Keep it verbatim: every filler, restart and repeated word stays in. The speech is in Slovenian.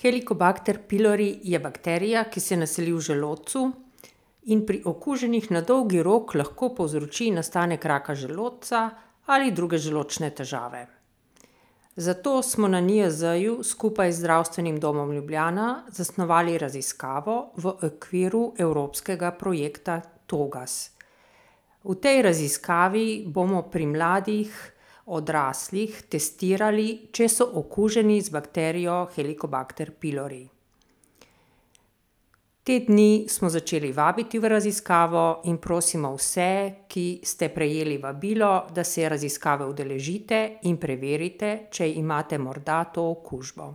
Helicobacter pylori je bakterija, ki se naseli v želodcu in pri okuženih na dolgi rok lahko povzroči nastanek raka želodca ali druge želodčne težave. Zato smo na N I J Z-ju skupaj z Zdravstvenim domom Ljubljana zasnovali raziskavo v okviru evropskega projekta Togas. V tej raziskavi bomo pri mladih odraslih testirali, če so okuženi z bakterijo Helicobacter pylori. Te dni smo začeli vabiti v raziskavo in prosimo vse, ki ste prejeli vabilo, da se raziskave udeležite in preverite, če imate morda to okužbo.